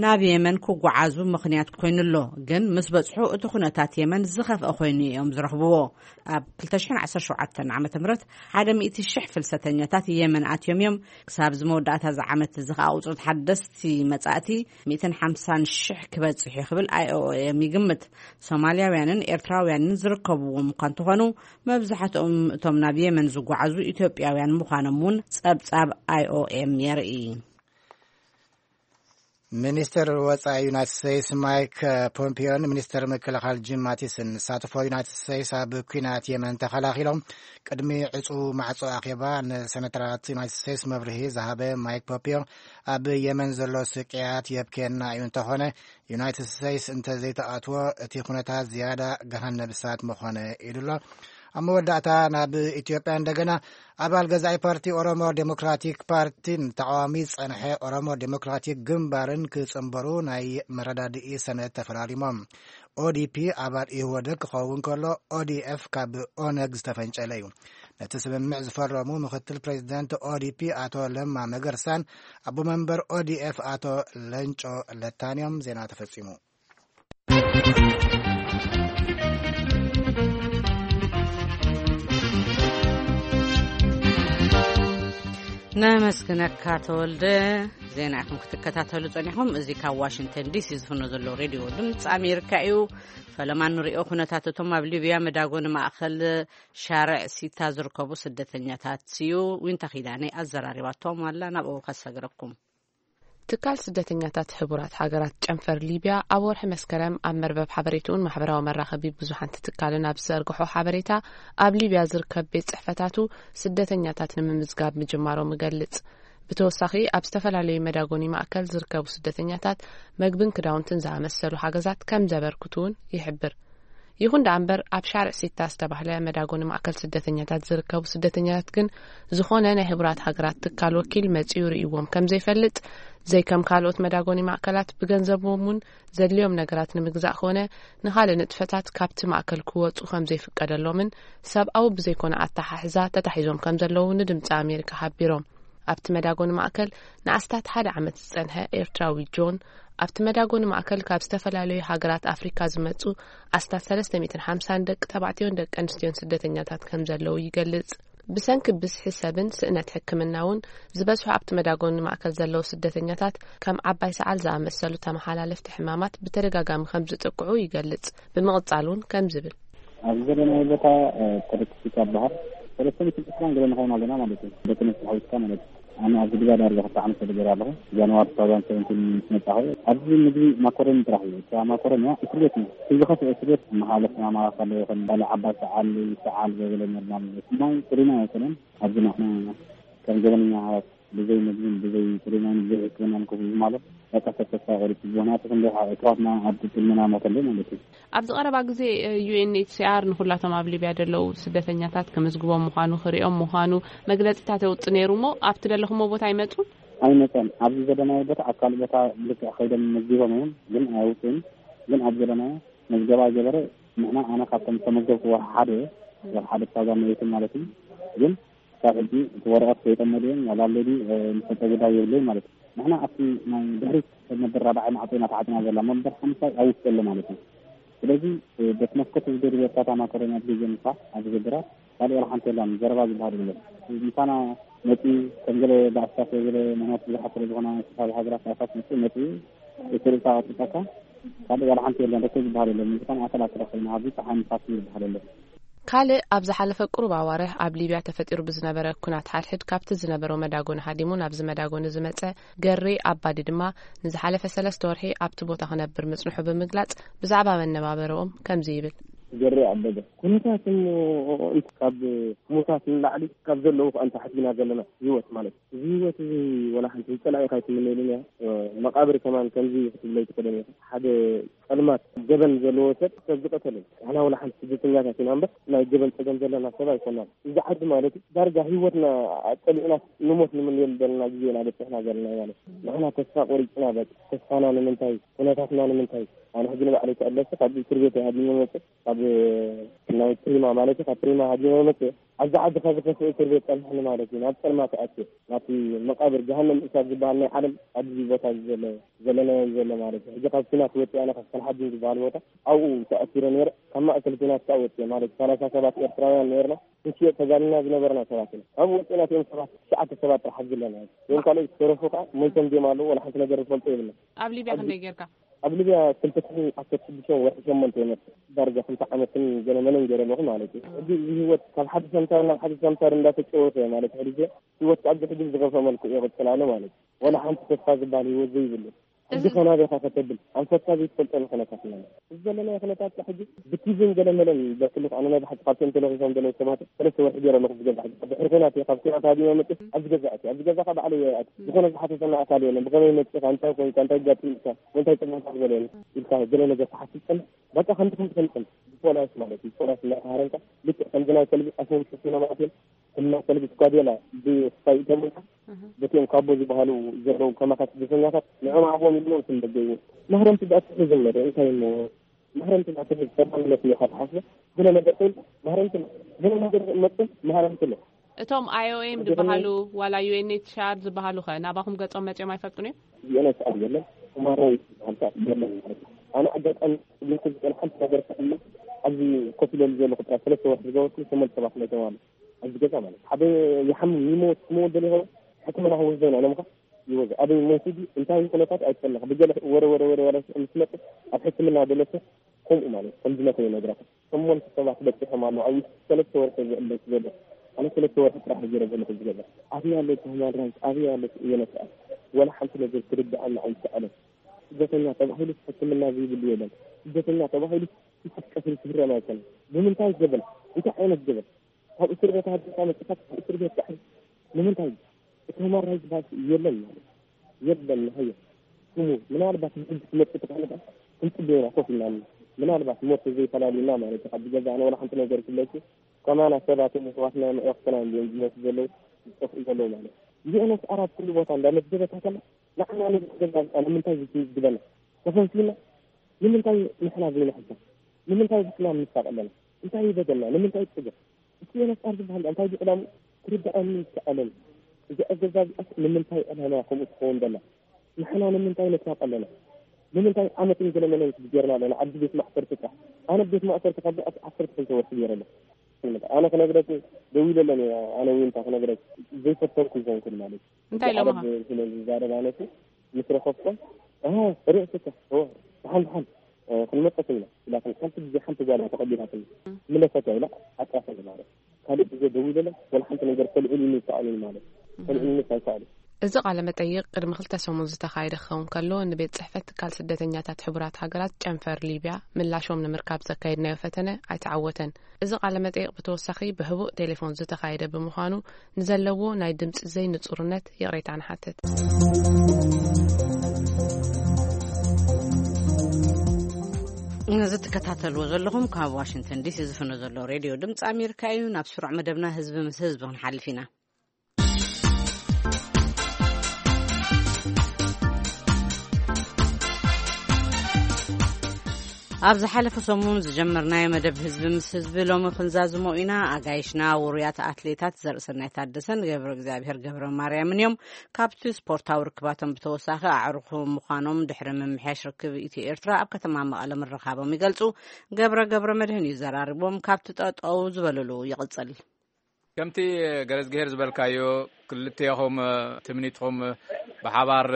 ናብ የመን ክጓዓዙ ምኽንያት ኮይኑ ኣሎ። ግን ምስ በጽሑ እቲ ኩነታት የመን ዝኸፍአ ኮይኑ እዮም ዝረኽብዎ። ኣብ ክልተ ሽሕን ዓሰርተ ሸውዓተን ዓመተ ምህረት ሓደ ሚእቲ ሽሕ ፍልሰተኛታት የመን ኣትዮም እዮም። ክሳብ እዚ መወዳእታ እዚ ዓመት እዚ ከኣ ቁጽሪ ሓደስቲ መጻእቲ ሚእትን ሓምሳን ሽሕ ክበጽሕ እዩ ክብል ኣይኦኤም ይግምት። ሶማልያውያንን ኤርትራውያንን ዝርከብዎም እኳ እንተኾኑ፣ መብዛሕትኦም እቶም ናብ የመን ዝጓዓዙ ኢትዮጵያውያን ምዃኖም እውን ጸብጻብ ኣይኦኤም የርኢ። ሚኒስትር ወጻኢ ዩናይትድ ስቴትስ ማይክ ፖምፒዮን ሚኒስትር ምክልኻል ጂም ማቲስን ንሳትፎ ዩናይትድ ስቴትስ ኣብ ኲናት የመን ተኸላኺሎም ቅድሚ ዕጹ ማዕጾ ኣኼባ ንሰነተራት ዩናይትድ ስቴትስ መብርሂ ዝሃበ ማይክ ፖምፒዮ፣ ኣብ የመን ዘሎ ስቅያት የብክየና እዩ፣ እንተኾነ ዩናይትድ ስቴትስ እንተዘይተኣትዎ እቲ ኩነታት ዝያዳ ገሃነብ እሳት ምኾነ ኢሉ ኣሎ። ኣብ መወዳእታ ናብ ኢትዮጵያ እንደገና። ኣባል ገዛኢ ፓርቲ ኦሮሞ ዴሞክራቲክ ፓርቲን ተቃዋሚ ዝጸንሐ ኦሮሞ ዴሞክራቲክ ግንባርን ክጽንበሩ ናይ መረዳድኢ ሰነድ ተፈራሪሞም። ኦዲፒ ኣባል ኢህወደግ ክኸውን ከሎ፣ ኦዲኤፍ ካብ ኦነግ ዝተፈንጨለ እዩ። ነቲ ስምምዕ ዝፈረሙ ምክትል ፕሬዚደንት ኦዲፒ ኣቶ ለማ መገርሳን ኣቦ መንበር ኦዲኤፍ ኣቶ ለንጮ ለታን እዮም። ዜና ተፈጺሙ። ነመስግነካ ተወልደ። ዜና ኢኹም ክትከታተሉ ጸኒሕኩም። እዚ ካብ ዋሽንግተን ዲሲ ዝፍኖ ዘሎ ሬድዮ ድምፂ ኣሜሪካ እዩ። ፈለማ ንሪኦ ኩነታት እቶም ኣብ ሊብያ መዳጎኒ ማእኸል ሻርዕ ሲታ ዝርከቡ ስደተኛታት እዩ። ዊንታ ኪዳነ ኣዘራሪባቶም ኣላ፣ ናብኡ ከሰግረኩም። ትካል ስደተኛታት ሕቡራት ሃገራት ጨንፈር ሊብያ ኣብ ወርሒ መስከረም ኣብ መርበብ ሓበሬትኡን ማሕበራዊ መራኸቢ ብዙሓን ትካልን ኣብ ዝዘርግሖ ሓበሬታ፣ ኣብ ሊብያ ዝርከብ ቤት ጽሕፈታቱ ስደተኛታት ንምምዝጋብ ምጅማሮም ይገልጽ። ብተወሳኺ ኣብ ዝተፈላለዩ መዳጎኒ ማእከል ዝርከቡ ስደተኛታት መግብን ክዳውንትን ዝኣመሰሉ ሓገዛት ከም ዘበርክቱ እውን ይሕብር። ይኹን ደኣ እምበር ኣብ ሻርዕ ሲታ ዝተባህለ መዳጎኒ ማእከል ስደተኛታት ዝርከቡ ስደተኛታት ግን ዝኾነ ናይ ሕቡራት ሃገራት ትካል ወኪል መጺኡ ርእይዎም ከም ዘይፈልጥ፣ ዘይከም ካልኦት መዳጎኒ ማእከላት ብገንዘቦም እውን ዘድልዮም ነገራት ንምግዛእ ኮነ ንኻልእ ንጥፈታት ካብቲ ማእከል ክወጹ ከም ዘይፍቀደሎምን ሰብኣዊ ብዘይኮነ ኣተሓሕዛ ተታሒዞም ከም ዘለዉ ንድምጺ ኣሜሪካ ሓቢሮም። ኣብቲ መዳጎኒ ማእከል ንኣስታት ሓደ ዓመት ዝጸንሐ ኤርትራዊ ጆን፣ ኣብቲ መዳጎኒ ማእከል ካብ ዝተፈላለዩ ሃገራት ኣፍሪካ ዝመጹ ኣስታት ሰለስተ ሚእትን ሓምሳን ደቂ ተባዕትዮን ደቂ ኣንስትዮን ስደተኛታት ከም ዘለዉ ይገልጽ። ብሰንኪ ብዝሒ ሰብን ስእነት ሕክምና እውን ዝበዝሑ ኣብቲ መዳጎኒ ማእከል ዘለዉ ስደተኛታት ከም ዓባይ ሰዓል ዝኣመሰሉ ተመሓላለፍቲ ሕማማት ብተደጋጋሚ ከም ዝጥቅዑ ይገልጽ። ብምቕጻል እውን ከም ዝብል። ኣብዚ ዘለናዮ ቦታ፣ እ፣ ተረክሲካ ይበሃል። ሰለስተ ሚእትን ዕስራን ገለ ንኸውን ኣለና ማለት እዩ። ደቂ ኣንስትዮ ሓዊስካ ማለት እዩ። ኣነ ኣብዚ ግዳ ዳርጋ ክልተ ዓመት ተደገረ ኣለኹ። ጃንዋሪ ቱ ታውዛንድ ሰቨንቲን ምስ መጻኹ፣ ኣብዚ ምግቢ ማኮረኒ ጥራሕ እዩ። እታ ማኮረኒ እያ፣ እስር ቤት እዩ። እቲ ዝኸፍአ እስር ቤት መሓለፍ ማማራ ከሎ ይኹን፣ ባለ ዓባይ ሰዓል፣ ሰዓል ዘበለ ኖርማል ማለት እዩ። ማይ ጥሪና ኣይኮነን። ኣብዚ ንሕና ከም ገበነኛ ብዘይ ምግብን ብዘይ ጥሪናን ብዘይ ሕክምናን ክፉ ማለት በቃ ሰብ ተስፋ ቆሪጹ። ምኽንያቱ ክንደይ ኣሕዋትና ኣብ ጥልመና ሞተሉ ማለት እዩ። ኣብዚ ቀረባ ግዜ፣ እ፣ ዩ ኤን ኤች ሲ ኣር ንኹላቶም ኣብ ሊብያ ዘለዉ ስደተኛታት ክምዝግቦም ምዃኑ፣ ክሪኦም ምዃኑ መግለጺታት የውጽእ ነይሩ እሞ፣ ኣብቲ ዘለኹሞ ቦታ ኣይመጹን? ኣይመጸን። ኣብዚ ዘለናዮ ቦታ ኣብ ካልእ ቦታ ልክዕ ከይዶም መዝጊቦም እዮም፣ ግን ኣይውጽኡን። ግን ኣብ ዘለናዮ መዝገባ ገበረ ንሕና፣ ኣነ ካብቶም ዝተመዝገብኩ ወርሒ ሓደ እየ። ወርሒ ሓደ ክሳብ ዛመየትን ማለት እዩ። ግን ካብ ሕጂ እቲ ወረቐት ከይጠመደ እዮም፣ ዋላ ኣለዲ፣ እ፣ ንፈልጦ ጉዳይ የብለይ ማለት እዩ። ንሕና ኣብቲ ናይ ድሕሪት ሰብ ነበር ራብዓይ ማዕጾ ኢና ተዓጽና ዘላ፣ መበር ሓምሳይ ኣብ ውሽጢ ኣሎ ማለት እዩ። ስለዚ፣ እ፣ በቲ መስኮት ዝገድበ እርሳታ ማኮረኒ ኣብ ግዜ ምሳ ኣብ ዝገብራ ካልእ ዋላ ሓንቲ የላን፣ ዘረባ ዝበሃል የለን። ምሳና መጺኡ ከም ገለ ባእስታት ገለ ምኽንያት ብዙሓት ስለ ዝኾና፣ ዝተፈላለዩ ሃገራት ባእስታት መጺኡ፣ መጺኡ እቲ ርእሳ ኣውጽእካ ካልእ ዋላ ሓንቲ የለን፣ ርክብ ዝበሃል የለን። ምሳና ኣተላተላ ኮይና ኣብዚ ጸሓይ ንፋስ ዝበሃል የለን። ካልእ ኣብ ዝሓለፈ ቁሩብ ኣዋርሕ ኣብ ሊብያ ተፈጢሩ ብዝነበረ ኩናት ሓድሕድ ካብቲ ዝነበሮ መዳጎኒ ሃዲሙ ናብዚ መዳጎኒ ዝመጸ ገሬ ኣባዲ ድማ ንዝሓለፈ ሰለስተ ወርሒ ኣብቲ ቦታ ክነብር ምጽንሑ ብምግላጽ ብዛዕባ መነባበረኦም ከምዚ ይብል። ገሬ ኣበበ፣ ኩነታት እሞ ካብ ሕሙሳት ንላዕሊ ካብ ዘለዉ ከኣ ንታሕት ኢና ዘለና ህይወት ማለት እዩ። እዚ ህይወት እዚ ወላ ሓንቲ ንጸላኢኻ ኣይትምነየሉን እያ። መቃብር ከማን ከምዚ ክትብሎ ኣይትኽእልን ኢኻ። ሓደ ጸልማት ገበን ዘለዎ ሰብ ሰብ ዝቐተለ እዩ። ንሕና ወላ ሓንቲ ስደተኛታት ኢና እምበር ናይ ገበን ጸገም ዘለና ሰብ ኣይኮናን። እዚ ዓዲ ማለት እዩ ዳርጋ ህይወትና ኣጸሊእና ንሞት ንምንየሉ ዘለና ግዜ ኢና በጺሕና ዘለና ማለት እዩ። ንሕና ተስፋ ቆሪጽና በቃ ተስፋና ንምንታይ ኩነታትና ንምንታይ? ኣነ ሕጂ ንባዕለይ ተቐለስቲ ካብ እስር ቤት እየ ሃዲመ መጽእ። ካብ ናይ ፕሪማ ማለት እዩ፣ ካብ ፕሪማ ሃዲመ መጽእ። ኣብዚ ዓዲ ካብ ዝኸፍእ እስር ቤት ጸንሕኒ ማለት እዩ። ናብ ጸልማት ኣትየ። ናብቲ መቃብር ገሃነም እሳት ዝበሃል ናይ ዓለም ኣብዚ ቦታ ዘሎ፣ ዘለናዮ ዘሎ ማለት እዩ። ሕጂ ካብ ኩናት ወጺኣ ኣነ ካብ ሰልሓዲን ዝበሃል ቦታ ኣብኡ ተኣሲረ ነይረ። ካብ ማእከል ኩናት ከኣ ወጺአ ማለት እዩ። ሰላሳ ሰባት ኤርትራውያን ነይርና። ክንሽየጥ ተጋሊና ዝነበርና ሰባት ኢና። ካብኡ ወጺእና እቲኦም ሰባት ትሽዓተ ሰባት ጥራሕ ኣብዚ ኣለና። እቶም ካልኦት ዝተረፉ ከኣ ሞይቶም ድዮም ኣለዉ፣ ወላ ሓንቲ ነገር ዝፈልጦ የብልና። ኣብ ሊብያ ኣብ ክንደይ ጌርካ? ኣብ ሊብያ ክልተ ሽሕን ዓሰርተ ሽዱሽተ ወርሒ ሸሞንተ እየ መጽእ። ዳርጋ ክልተ ዓመትን ገለ መለን ገይረ ኣለኹ ማለት እዩ። ሕጂ እዚ ህይወት ካብ ሓደ ሰምሳር ናብ ሓደ ሰምሳር እንዳተጨወተ ማለት ሕጂ ህይወት ኣብዚ ሕጂ ብዝኸፍአ መልክዑ ይቕጽል ኣሎ ማለት እዩ። ወላ ሓንቲ ተስፋ ዝበሃል ህይወት ዘይብሉ። ሕጂ እዚ ከ ናበይ ኢኻ ከተብል? ኣንፈትካ ዘይትፈልጠሉ ኩነታት ኢና። እዚ ዘለናዮ ኩነታት ከ ሕጂ ብቲቪን ገለ መለን በክልኽ ኣነ ናይ ብሓቂ ካብቶም ተለኺፎም ዘለዉ ሰባት ሰለስተ ወርሒ ገይረ ኣለኹ ዝገዛ ሕጂ። ድሕሪ ኩናት እየ ካብ ኩናት ሃዲመ መጽእ ኣብዚ ገዛ ኣትየ። ኣብዚ ገዛ ከ ባዕለይ እየ ኣትየ። ዝኾነ ዝሓተተና ኣካል የለን። ብኸመይ መጺእካ? እንታይ ኮንካ? እንታይ ኣጋጢሙካ? እንታይ ጸገምካ ዝበለ የለን። ኢልካ ገለ ነገር ትሓስብ ጸንሕ። በቃ ከምቲ ከምቲ ከምቲ ብፖላይስ ማለት እዩ። ብፖላይስ እናተሃረምካ ልክዕ ከምዚ ናይ ከልቢ ኣፎም ሸፊኖም ኣትዮም ከም ናይ ከልቢ ስኳዴላ ብስፓይ ይእተሙልካ። እህ። በቲኦም ካቦ ዝበሃሉ ዘለዉ ከማኻ ስደተኛታት ንዕኦም ኣብኦም ኢሎም ስም ደገይዎ። ማህረምቲ ብኣትሒ ዝመደ እንታይ እሞ ማህረምቲ ብኣትሒ ተባልነት ኢኻ ትሓስቦ? ገለ ነገር ኮይኑ ማህረምቲ ኣሎ። ገለ ነገር መጥቶም ማህረምቲ ኣሎ። እቶም ኣይ ኦ ኤም ዝበሃሉ ዋላ ዩ ኤን ኤች ሲ ኣር ዝበሃሉ ኸ ናባኹም ገጾም መጺኦም ኣይፈልጡን እዮም? ዩ ኤን ኤች ሲ ኣር የለን፣ ሁማን ራይትስ ዝበሃል ከኣ የለን ማለት እዩ። ኣነ ኣጋጣሚ ዝብል ዝጸንሐ ሓንቲ ነገር ከ ኣሎ፣ ኣብዚ ኮፍ ኢለሉ ዘለኹ ጥራይ ሰለስተ ወርሒ ዝገበርኩ ሸሞንተ ሰባት ሞይቶም ኣለዉ። ኣብዚ ገዛ ማለት ሓደ ይሓምም ይሞት ክመወት ደሊኹ ሕክምና ክወስዶ ኢና ኢሎምካ ይወስዶ። ኣበይ ሞት ድዩ እንታይ ኩነታት ኣይትፈልጥን። ብገለ ወረ ወረ ወረ ወረ ምስ መጽእ ኣብ ሕክምና ደለሰ ከምኡ ማለት ከም ዝመተ ይነግረካ። ሸሞንተ ሰባት በጺሖም ኣለዉ። ኣብ ውሽጢ ሰለስተ ወርሒ ዝዕበስ ዘሎ። ኣነ ሰለስተ ወርሒ ጥራሕ ገይረ ዘለኹ ዝገዛ። ኣበይ ኣሎ እቲ ሁማን ራይት? ኣበይ ኣሎ እቲ ዩ ኤን ኤች ሲ ኣር? ወላ ሓንቲ ነገር ክርድኣና ኣይከኣለን። ስደተኛ ተባሂሉ ሕክምና ዘይብሉ የለን። ስደተኛ ተባሂሉ ስሓት ቀትሪ ክህረም ኣይኮነን። ብምንታይ ገበን? እንታይ ዓይነት ገበን? ካብ እስር ቤት ሃገርካ መጽኻ ካብ እስር ቤት ዳሕር ንምንታይ? እቲ ሁማን ራይት ባስ የለን ማለት የለን። ሃየ ስሙ ምናልባት ንሕጂ ክመጽእ ተኻለ ክንጽበ ኢና ኮፍ ኢልና ምናልባት ሞት ዘይፈላልዩና ማለት እዩ። ካብ ገዛእና ወላ ሓንቲ ነገር ክለኩ ከማና ሰባት የሕዋትና የሕዋትና እዮም ዝሞቱ ዘለዉ ዝጠፍኡ ዘለዉ ማለት እዩ። ዩኤንኤስኣር ኣብ ኩሉ ቦታ እንዳመደበታ ከላ ንዓና ንገዛዝኣ ንምንታይ ዝግበና ተፈንሲና ንምንታይ ንሕና ዘይንሕሰብ? ንምንታይ ብሕና ንሳቕ ኣለና? እንታይ ይበደልና? ንምንታይ ይጽገም? እቲ ዩኤንኤስኣር ዝበሃል እንታይ ድዩ ዕላምኡ? ክርድኣኒ ይከኣለኒ። እዚ ኣገዛዝኣስ ንምንታይ ዕላማ ከምኡ ትኸውን ደላ? ንሕና ንምንታይ ነሳቕ ኣለና? ንምንታይ ዓመትን ገለመለን ጌርና ኣለና? ዓዲ ቤት ማእሰርቲ ጥራሕ። ኣነ ቤት ማእሰርቲ ካብ ዝኣት ዓሰርተ ክልተ ወርሒ ገይረ ኣለኹ። ኣነ ክነግረኪ ደው ኢለ ኣለኒ። ኣነ ዊንታ ክነግረኪ ዘይፈተንኩ ይኾንኩን ማለት እዩ። እንታይ ኢሎምኻ? ዓረብ ስለ ዝዛረብ ኣነሲ ምስ ረኸብኮ፣ "ኣሃ፣ ርእስካ፣ ኦ፣ ደሓን፣ ደሓን፣ እ፣ ክንመጸት ኢና" ኢላትኒ። ሓንቲ ግዜ ሓንቲ ጓል እያ ተቐቢላትኒ። ምለሰት እያ ኢላ ዓጻፈኒ ማለት። ካልእ ግዜ ደው ኢለሎም፣ ወላ ሓንቲ ነገር ከልዕሉኒ ይከኣሉኒ ማለት። ከልዕሉኒ ኣይከኣሉ። እዚ ቃለ መጠይቕ ቅድሚ ክልተ ሰሙን ዝተኻየደ ክኸውን ከሎ፣ ንቤት ጽሕፈት ትካል ስደተኛታት ሕቡራት ሃገራት ጨንፈር ሊብያ ምላሾም ንምርካብ ዘካየድናዮ ፈተነ ኣይተዓወተን። እዚ ቃለ መጠይቕ ብተወሳኺ ብህቡእ ቴሌፎን ዝተኻየደ ብምዃኑ፣ ንዘለዎ ናይ ድምጺ ዘይንጹርነት ይቕሬታ ንሓትት። እዚ ትከታተልዎ ዘለኹም ካብ ዋሽንግተን ዲሲ ዝፍኖ ዘሎ ሬድዮ ድምፂ ኣሜሪካ እዩ። ናብ ስሩዕ መደብና ህዝቢ ምስ ህዝቢ ክንሓልፍ ኢና። ኣብ ዝሓለፈ ሰሙን ዝጀመርናዮ መደብ ህዝቢ ምስ ህዝቢ ሎሚ ክንዛዝሞ ኢና። ኣጋይሽና ውሩያት ኣትሌታት ዘርእሰናይ ታደሰን ገብረ እግዚኣብሔር ገብረ ማርያምን እዮም። ካብቲ ስፖርታዊ ርክባቶም ብተወሳኺ ኣዕሩኹ ምዃኖም ድሕሪ ምምሕያሽ ርክብ ኢትዮ ኤርትራ ኣብ ከተማ መቐለ ምርኻቦም ይገልጹ። ገብረ ገብረ መድህን እዩ ዘራርቦም። ካብቲ ጠጠው ዝበልሉ ይቕጽል። ከምቲ ገረዝግሄር ዝበልካዮ፣ ክልቴኹም ትምኒትኹም ብሓባር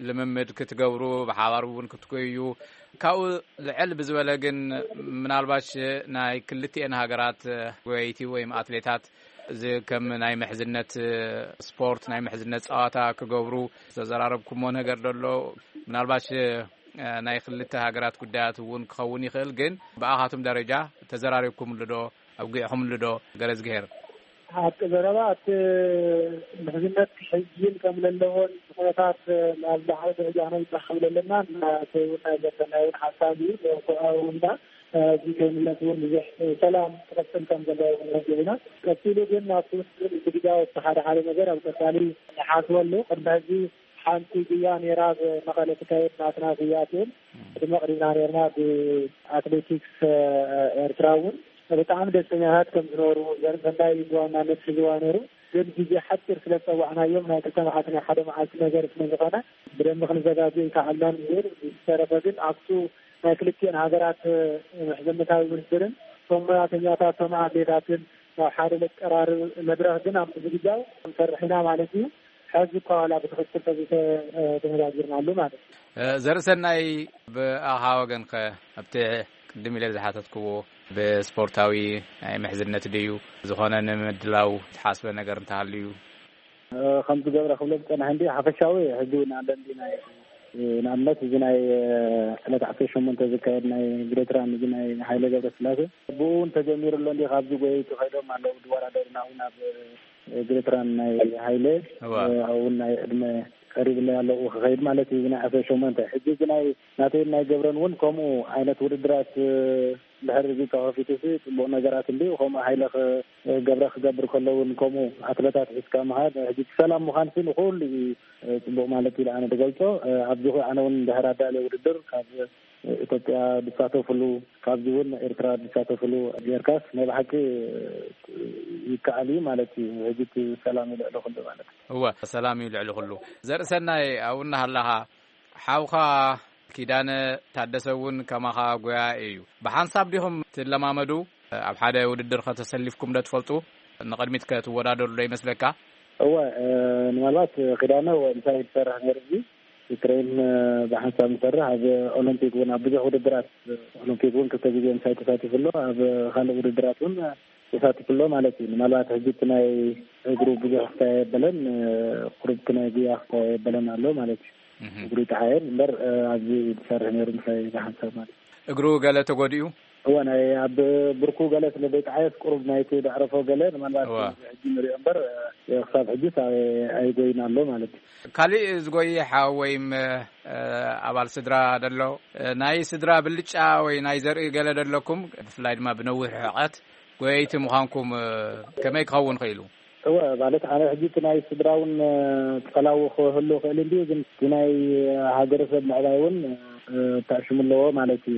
ልምምድ ክትገብሩ፣ ብሓባር እውን ክትጎዩ፣ ካብኡ ልዕል ብዝበለ ግን ምናልባሽ ናይ ክልቲኤን ሃገራት ጎየይቲ ወይም ኣትሌታት እዚ ከም ናይ ምሕዝነት ስፖርት፣ ናይ ምሕዝነት ጸዋታ ክገብሩ ዝተዘራረብኩሞ ነገር ደሎ? ምናልባሽ ናይ ክልተ ሃገራት ጉዳያት እውን ክኸውን ይኽእል፣ ግን ብኣኻትም ደረጃ ተዘራሪብኩምሉ ዶ? ኣውጊዕኹምሉ ዶ? ገረዝግሄር። ሓቂ ዘረባ፣ እቲ ምሕዝነት ክሕይል ከም ዘለዎን ኩነታት ናብ ላዕሊ ደረጃ ክነብጽሕ ከም ዘለና ናተይ እውን ናይ ዘበናይ እውን ሓሳብ እዩ። ብኣውና እዚ ከይምለት እውን ብዙሕ ሰላም ክቐጽል ከም ዘለዎ እውን ረዲእና። ቀጺሉ ግን ኣብቲ ውስጥ ዝግዳው ሓደ ሓደ ነገር ኣብ ቀጻሊ ንሓስበሉ። ቅድሚ ሕዚ ሓንቲ ጉያ ነይራ፣ ኣብ መቐለ ትካየድ ናትና ጉያ ትብል። ቅድሚ ቅድምና ነርና ብኣትሌቲክስ ኤርትራ እውን ብጣዕሚ ደስተኛታት ከም ዝነበሩ፣ ዘርእሰናይ ብዋናነት ሒዝዋ ነይሩ። ግን ግዜ ሓፂር ስለ ዝፀዋዕናዮም፣ ናይ ክልተ መዓልቲ ናይ ሓደ መዓልቲ ነገር ስለ ዝኾነ ብደንቢ ክንዘጋጆ ይከኣልናን ይብል። ዝተረፈ ግን ኣብቱ ናይ ክልቲኤን ሃገራት ምሕዝነታዊ ውድድርን እቶም ሞያተኛታት፣ እቶም ኣትሌታትን ናብ ሓደ ዘቀራርብ መድረኽ ግን ኣብ ምዝግጃው ክንሰርሕ ኢና ማለት እዩ። ሕዚ እኳ ዋላ ብትኽክል ተዘይተደነጋጊርናሉ ማለት እዩ። ዘርእሰናይ፣ ብኣኻ ወገንከ ኣብቲ ቅድም ኢለ ዝሓተትክዎ ብስፖርታዊ ናይ ምሕዝነት ድዩ ዝኾነ ንምድላው ዝሓስበ ነገር እንተሃልዩ? ከምቲ ገብረ ክብሎ ዝጸናሕ እንዲ ሓፈሻዊ ሕጂ እውን ኣሎ እንዲ ናይ ንኣብነት እዚ ናይ ዕለት ዓሰርተ ሸሞንተ ዝካየድ ናይ ግሬትራን እዚ ናይ ሃይለ ገብረስላሴ ብኡ እውን ተጀሚሩ ኣሎ እንዲ ካብዚ ጎየይቲ ከይዶም ኣለዉ ዝወዳደሩና እውን ኣብ ግሬትራን ናይ ሃይለ እዋ። እውን ናይ ዕድመ ቀሪብለይ ኣለዉ ክኸይድ ማለት እዩ። እዚ ናይ ዓሰርተ ሸሞንተ ሕጂ እዚ ናይ ናተይን ናይ ገብረን እውን ከምኡ ዓይነት ውድድራት ድሕሪ እዚ ተኸፊቱ ሲ ጽቡቕ ነገራት እንዲ ከምኡ ሃይለ ክ- ገብረ ክገብር ከሎ እውን ከምኡ ኣትለታት ሒዝካ ምኻድ ሕጂ እቲ ሰላም ምዃን ሲ ንኹሉ እዩ ጽቡቕ ማለት ኢለ ኣነ ዝገልጾ። ኣብዚ ኮ ኣነ እውን ድሕሪ ኣዳልየ ውድድር ካብ ኢትዮጵያ ዝሳተፍሉ ካብዚ እውን ኤርትራ ዝሳተፍሉ ጌርካስ ናይ ብሓቂ ይከኣል እዩ ማለት እዩ። ሕጂ እቲ ሰላም እዩ ልዕሊ ኩሉ ማለት እዩ። እወ ሰላም እዩ ልዕሊ ኩሉ። ዘርእሰናይ ኣብኡ እናሃለኻ ሓውኻ ኪዳነ ታደሰ እውን ከማኻ ጎያ እዩ። ብሓንሳብ ዲኹም ትለማመዱ? ኣብ ሓደ ውድድር ከተሰሊፍኩም ዶ ትፈልጡ? ንቕድሚት ከ ትወዳደሩ ዶ ይመስለካ? እወ፣ እ፣ ምናልባት ኪዳነ እወ እንታይ ትሰርሕ ነይሩ እዚ ትሬን፣ እ፣ ብሓንሳብ ንሰርሕ ኣብ ኦሎምፒክ እውን ኣብ ብዙሕ ውድድራት ኦሎምፒክ እውን ክልተ ግዜ ምሳይ ተሳቲፉ ኣሎ። ኣብ ካልእ ውድድራት እውን ተሳቲፉ ኣሎ ማለት እዩ። ምናልባት ሕጂ እቲ ናይ እግሩ ብዙሕ ክሳየ የበለን፣ ቁሩብ እቲ ናይ ጉያ ክሳየ የበለን ኣሎ ማለት እዩ። እግሩ ይጠሓየል እምበር፣ ኣብዚ ዝሰርሕ ነይሩ ምሳይ ዝሓንሳብ ማለት እዩ። እግሩ ገለ ተጎዲኡ? እወ፣ ናይ ኣብ ብርኩ ገለ ስለ ዘይጠሓየስ ቁሩብ ናይቲ ዘዕረፎ ገለ ምናልባት ሕጂ ንሪኦ እምበር፣ ክሳብ ሕጂ ኣይጎይን ኣሎ ማለት እዩ። ካሊእ ዝጎየ ሓው ወይም ኣባል ስድራ ደሎ፣ ናይ ስድራ ብልጫ ወይ ናይ ዘርኢ ገለ ደለኩም፣ ብፍላይ ድማ ብነዊሕ ርሕቀት ጎየይቲ ምዃንኩም ከመይ ክኸውን ኽኢሉ? እወ፣ ማለት ኣነ ሕጂ እቲ ናይ ስድራ እውን ጸላዊ ክህሉ ክእል እንድዩ፣ ግን እቲ ናይ ሃገረሰብ ምዕባይ እውን ተዕሽሙ ኣለዎ ማለት እዩ።